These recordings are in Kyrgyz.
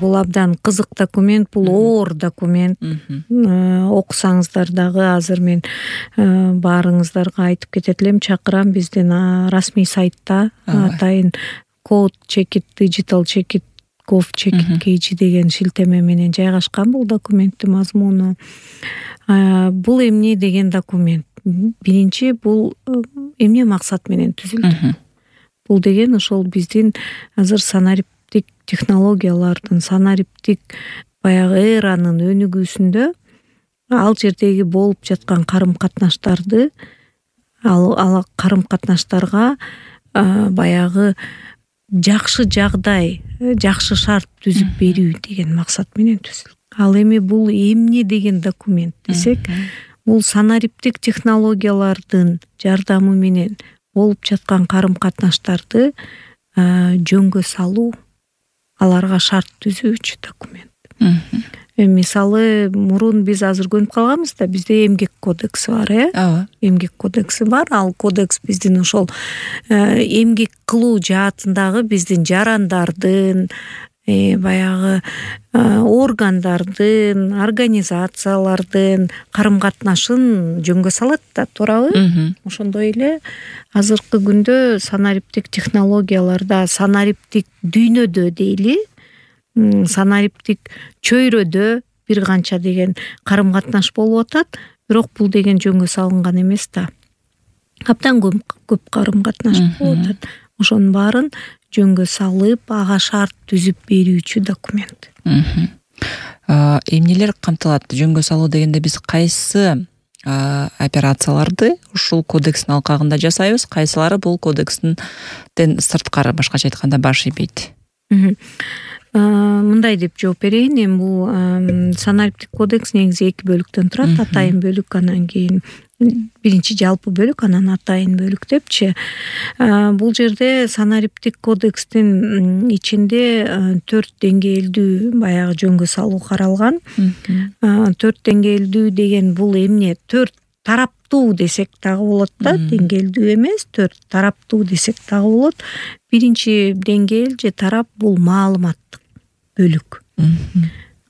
Бул абдан кызык документ, бул оор документ. Окусаңыздар дагы азыр мен баарыңыздарга айтып кетет элем, чакырам, биздин расмий сайтта атайын code-digital-gov.kg деген шилтеме менен жайгашкан бул документтин мазмуну. Бул эмне деген документ? Биринчи, бул эмне максат менен түзүлдү? Бул деген ошол биздин азыр санариптик технологиялардын, санариптик баягы эранын өнүгүүсүндө ал жердеги болуп жаткан карым-катнаштарды, ал карым-катнаштарга баягы жакшы жагдай, жакшы шарт түзүп берүү деген максат менен түзүлдү. Ал эми бул эмне деген документ десек, бул санариптик технологиялардын жардамы менен болуп жаткан карым-катнаштарды жөнгө салуу, аларга шарт түзүүчү документ. Мисалы, мурун биз азыр көнүп калганбыз да, бизде эмгек кодекси бар, эмгек кодекси бар. Ал кодекс биздин ошол эмгек кылуу жаатындагы биздин жарандардын, баягы органдардын, организациялардын карым-катнашын жөнгө салат да, туурабы? Ошондой эле азыркы күндө санариптик технологияларда, санариптик дүйнөдө дейли, санариптик чөйрөдө бир канча деген карым-катнаш болуп атат, бирок бул деген жөнгө салынган эмес да. Абдан көп карым-катнаш болуп атат. Ошонун баарын жөнгө салып, ага шарт түзүп берүүчү документ. Эмнелер камтылат? Жөнгө салуу дегенде биз кайсы операцияларды ушул кодекстин алкагында жасайбыз, кайсылары бул кодекстин сырткары, башкача айтканда, баш ийбейт? Мындай деп жооп берейин. Эми бул санариптик кодекс негизи 2 бөлүктөн турат. Атайын бөлүк, анан кийин биринчи жалпы бөлүк, анан атайын бөлүк депчи. Бул жерде санариптик кодекстин ичинде 4 деңгээлдүү баягы жөнгө салуу каралган. 4 деңгээлдүү деген бул эмне? 4 тараптуу десек дагы болот да, деңгээлдүү эмес, 4 тараптуу десек дагы болот. Биринчи деңгээл же тарап бул маалыматтык бөлүк.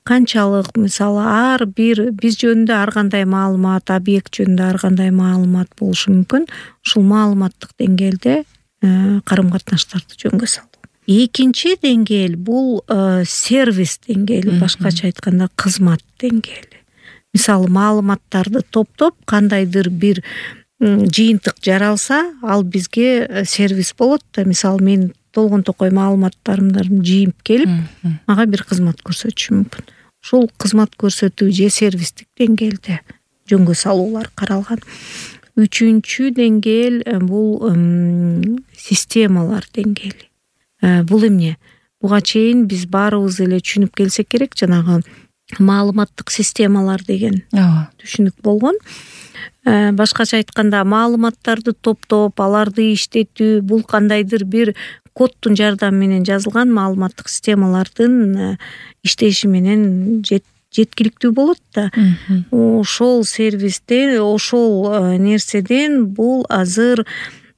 Канчалык, мисалы, ар бир биз жөнүндө ар кандай маалымат, объект жөнүндө ар кандай маалымат болушу мүмкүн. Ушул маалыматтык деңгээлде карым-катнаштарды жөнгө салуу. Экинчи деңгээл бул сервис деңгээли, башкача айтканда кызмат деңгээли. Мисалы, маалыматтарды топтоп кандайдыр бир жыйынтык жаралса, ал бизге сервис болот да. Мисалы, мен толгон токой маалыматтарымды жыйып келип, мага бир кызмат көрсөтүшү мүмкүн. Ушул кызмат көрсөтүү же сервистик деңгээлде жөнгө салуулар каралган. Үчүнчү деңгээл бул системалар деңгээли. Бул эмне? Буга чейин биз баарыбыз эле түшүнүп келсек керек, жанагы маалыматтык системалар деген түшүнүк болгон. Башкача айтканда, маалыматтарды топтоп, аларды иштетүү, бул кандайдыр бир кодтун жардамы менен жазылган маалыматтык системалардын иштеши менен жеткиликтүү болот да. Ошол сервистен, ошол нерседен бул азыр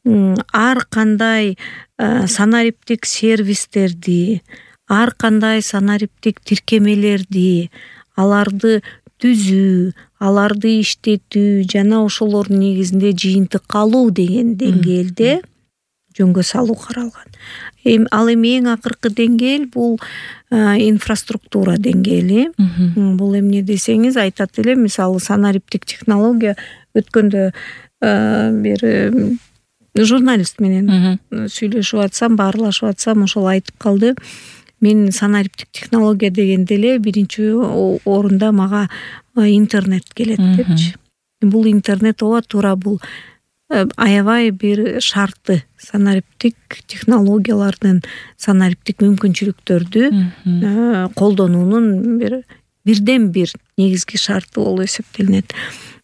ар кандай санариптик сервистерди, ар кандай санариптик тиркемелерди, аларды түзүү, аларды иштетүү жана ошолордун негизинде жыйынтык алуу деген деңгээлде жөнгө салуу каралган. Ал эми эң акыркы деңгээл бул инфраструктура деңгээли. Бул эмне десеңиз, айтат эле, мисалы, санариптик технология өткөндө бир журналист менен сүйлөшүп атсам, баарлашып атсам, ошол айтып калды. Мен санариптик технология дегенде эле биринчи орунда мага интернет келет депчи. Бул интернет ооба туура, бул аябай бир шарты, санариптик технологиялардын, санариптик мүмкүнчүлүктөрдү колдонуунун бирден бир негизги шарты болуп эсептелинет.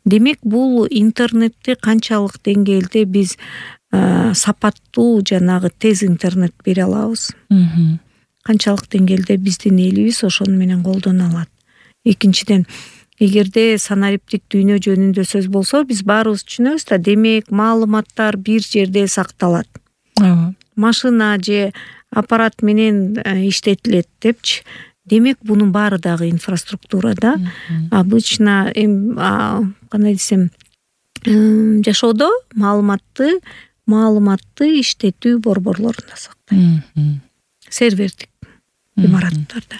Демек, бул интернетти канчалык деңгээлде биз сапаттуу, жанагы тез интернет бере алабыз? Канчалык деңгээлде биздин элибиз ошону менен колдоно алат? Экинчиден, эгерде санариптик дүйнө жөнүндө сөз болсо, биз баарыбыз түшүнөбүз да, демек маалыматтар бир жерде сакталат. Машина же аппарат менен иштетилет депчи. демек бунун баары дагы инфраструктура да. Обычно кандай десем, жашоодо маалыматты иштетүү борборлорунда сактайт. Сервердик имараттарда.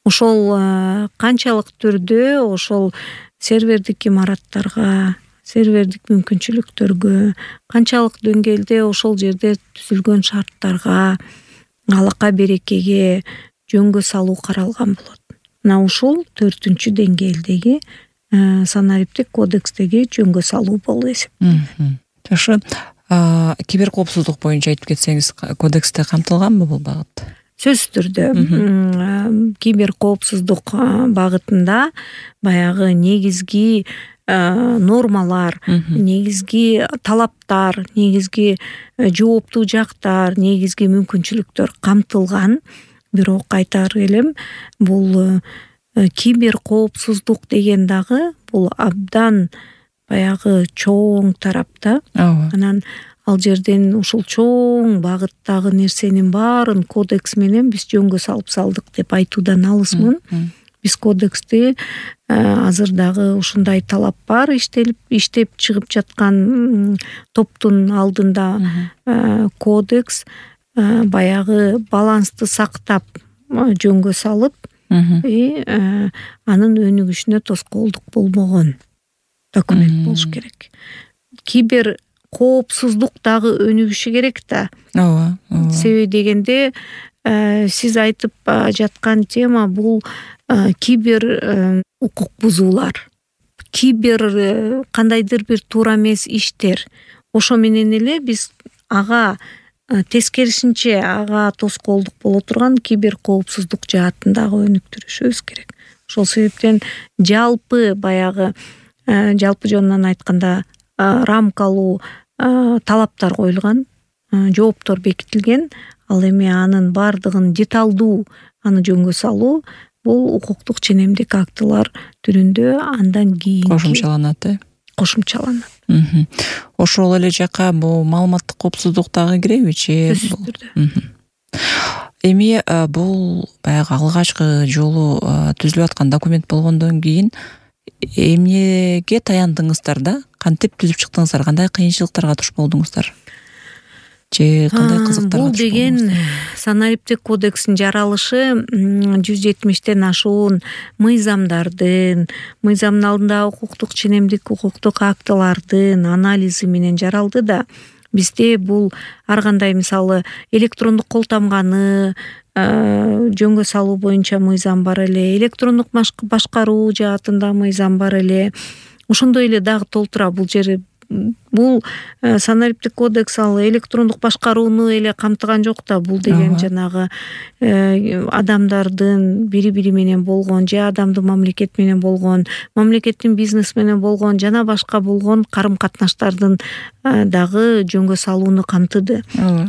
Ошол канчалык түрдө ошол сервердик имараттарга, сервердик мүмкүнчүлүктөргө, канчалык деңгээлде ошол жерде түзүлгөн шарттарга, алака берекеге жөнгө салуу каралган болот. Мына ушул 4-үнчү деңгээлдеги санариптик кодекстеги жөнгө салуу болуп эсептелет. Жакшы. Кибер коопсуздук боюнча айтып кетсеңиз, кодексте камтылганбы бул багыт? Сөзсүз түрдө кибер коопсуздук багытында баягы негизги нормалар, негизги талаптар, негизги жооптуу жактар, негизги мүмкүнчүлүктөр камтылган. Бирок айтаар элем, бул кибер коопсуздук деген дагы бул абдан баягы чоң тарапта. Анан ал жерден ушул чоң багыттагы нерсенин баарын кодекс менен биз жөнгө салып салдык деп айтуудан алысмын. Биз кодексти азыр дагы ушундай талап бар, иштеп чыгып жаткан топтун алдында кодекс баягы балансты сактап жөнгө салып, анын өнүгүшүнө тоскоолдук болбогон документ болуш керек. Кибер коопсуздук дагы өнүгүшү керек да. Себеби дегенде сиз айтып жаткан тема бул кибер укук бузуулар, кибер кандайдыр бир туура эмес иштер. Ошо менен эле биз ага тескерисинче ага тоскоолдук боло турган кибер коопсуздук жаатын дагы өнүктүрүшүбүз керек. Ошол себептен жалпы баягы жалпы жонунан айтканда рамкалуу талаптар коюлган, жооптор бекитилген. Ал эми анын бардыгын деталдуу аны жөнгө салуу бул укуктук ченемдик актылар түрүндө андан кийин кошумчаланат. Ошол эле жака бул маалыматтык коопсуздук дагы киребичи? Эми бул баягы алгачкы жолу түзүлүп аткан документ болгондон кийин эмнеге таяндыңыздар да? Кантип түзүп чыктыңыздар? Кандай кыйынчылыктарга туш болдуңуздар? Же кандай кызыктарга туш болдуңуздар? Бул деген санариптик кодекстин жаралышы 170тен ашуун мыйзамдардын алдында укуктук ченемдик укуктук актылардын анализи менен жаралды да. Бизде бул ар кандай мисалы электрондук кол тамганы жөнгө салуу боюнча мыйзам бар эле, электрондук башкаруу жаатында мыйзам бар эле. Ошондой эле дагы толтура бул жери. Бул санариптик кодекс ал электрондук башкарууну эле камтыган жок да. Бул деген жанагы адамдардын бири-бири менен болгон, же адамдын мамлекет менен болгон, мамлекеттин бизнес менен болгон жана башка болгон карым-катнаштардын дагы жөнгө салууну камтыды.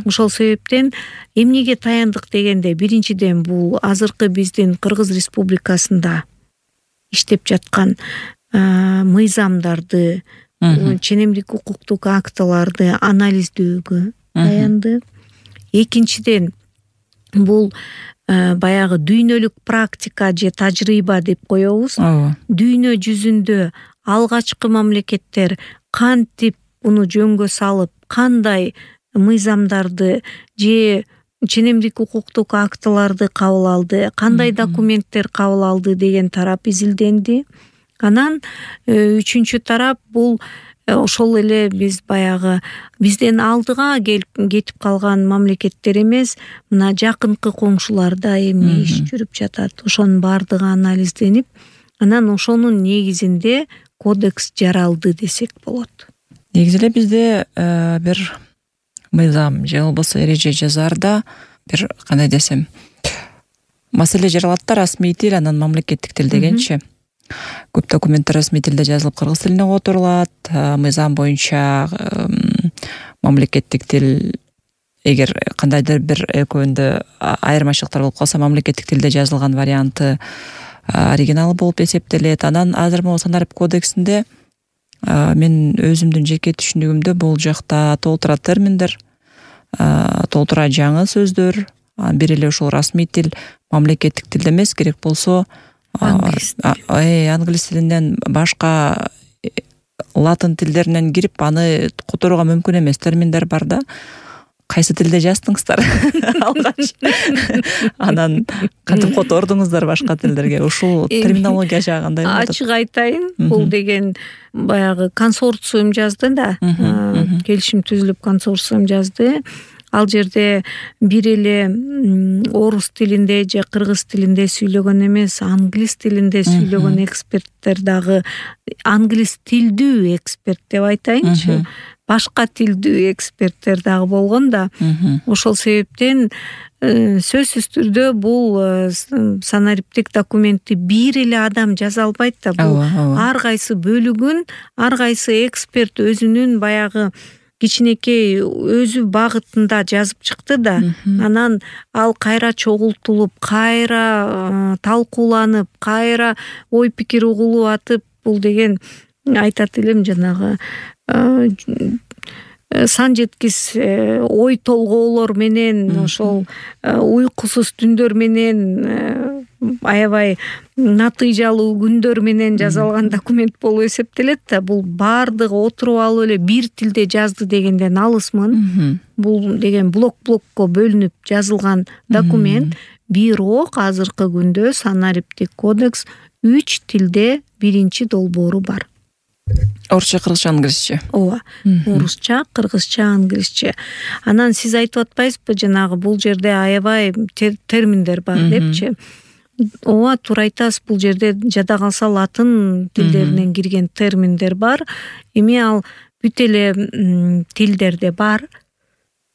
Ошол себептен эмнеге таяндык дегенде, биринчиден бул азыркы биздин Кыргыз Республикасында иштеп жаткан мыйзамдарды, ченемдик укуктук актыларды анализдөөгө таянды. Экинчиден бул баягы дүйнөлүк практика же тажрыйба деп коебуз. Дүйнө жүзүндө алгачкы мамлекеттер кантип буну жөнгө салып, кандай мыйзамдарды же ченемдик укуктук актыларды кабыл алды, кандай документтер кабыл алды деген тарап изилденди. Анан үчүнчү тарап бул ошол эле биз баягы бизден алдыга кетип калган мамлекеттер эмес, мына жакынкы коңшуларда эмне иш жүрүп жатат, ошонун бардыгы анализденип, анан ошонун негизинде кодекс жаралды десек болот. Негизи эле бизде бир мыйзам же болбосо эреже жазаарда бир кандай десем, маселе жаралат да, расмий тил, анан мамлекеттик тил дегенчи. Көп документтер расмий тилде жазылып кыргыз тилине которулат. Мыйзам боюнча мамлекеттик тил, эгер кандайдыр бир экөөндө айырмачылыктар болуп калса, мамлекеттик тилде жазылган варианты оригиналы болуп эсептелет. Анан азыр могу санарип кодексинде мен өзүмдүн жеке түшүнүгүмдө бул жакта толтура терминдер, толтура жаңы сөздөр, бир эле ушул расмий тил мамлекеттик тил эмес, керек болсо англис тилинен башка латын тилдеринен кирип аны которууга мүмкүн эмес терминдер бар да. Кайсы тилде жаздыңыздар алгач? Анан кантип котордуңуздар башка тилдерге? Ушул терминология жагы кандай болот? Ачык айтайын, бул деген баягы консорциум жазды да. Келишим түзүлүп консорциум жазды. Ал жерде бир эле орус тилинде же кыргыз тилинде сүйлөгөн эмес, англис тилинде сүйлөгөн эксперттер дагы, англис тилдүү эксперт деп айтайынчы, башка тилдүү эксперттер дагы болгон да. Ошол себептен сөзсүз түрдө бул санариптик документти бир эле адам жаза албайт да. Бул ар кайсы бөлүгүн, ар кайсы эксперт өзүнүн баягы кичинекей өзү багытында жазып чыкты да. Анан ал кайра чогултулуп, кайра талкууланып, кайра ой пикир угулуп атып, бул деген айтат элем жанагы сан жеткис ой толгоолор менен, ошол уйкусуз түндөр менен, аябай натыйжалуу күндөр менен жазалган документ болуп эсептелет да. Бул баардыгы отуруп алып эле бир тилде жазды дегенден алысмын. Бул деген блок-блокко бөлүнүп жазылган документ. Бирок азыркы күндө санариптик кодекс 3 тилде биринчи долбоору бар. Орусча, кыргызча, англисче. Ооба. Орусча, кыргызча, англисче. Анан сиз айтып атпайсызбы, жанагы бул жерде аябай терминдер бар депчи. Ооба, туура айтасыз. Бул жерде жада калса латын тилдеринен кирген терминдер бар. Эми ал бүт эле тилдерде бар.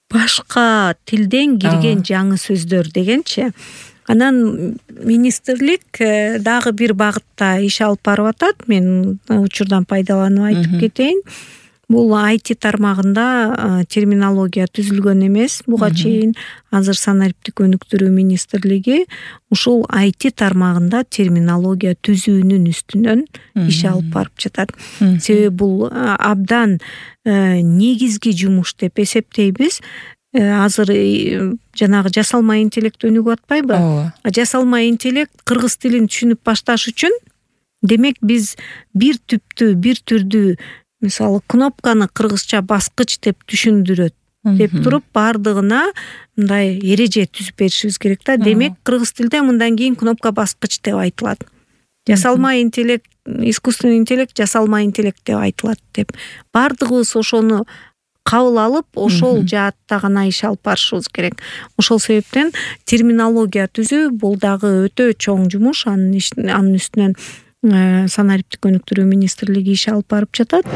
Башка тилден кирген жаңы сөздөр дегенчи. Анан министрлик дагы бир багытта иш алып барып атат. Мен учурдан пайдаланып айтып кетейин. Бул IT тармагында терминология түзүлгөн эмес. Буга чейин азыр санариптик өнүктүрүү министрлиги ушул IT тармагында терминология түзүүнүн үстүнөн иш алып барып жатат. Себеби бул абдан негизги жумуш деп эсептейбиз. Азыр жанагы жасалма интеллект өнүгүп атпайбы? Жасалма интеллект кыргыз тилин түшүнүп башташ үчүн, демек биз бир түптүү, бир түрдүү, мисалы кнопканы кыргызча баскыч деп түшүндүрөт деп туруп, баардыгына мындай эреже түзүп беришибиз керек да. Демек кыргыз тилде мындан кийин кнопка баскыч деп айтылат. Жасалма интеллект, искусственный интеллект жасалма интеллект деп айтылат деп. Баардыгыбыз ошону кабыл алып, ошол жаатта гана иш алып барышыбыз керек. Ошол себептен терминология түзүү бул дагы өтө чоң жумуш. Анын үстүнөн санариптик өнүктүрүү министрлиги иш алып барып жатат.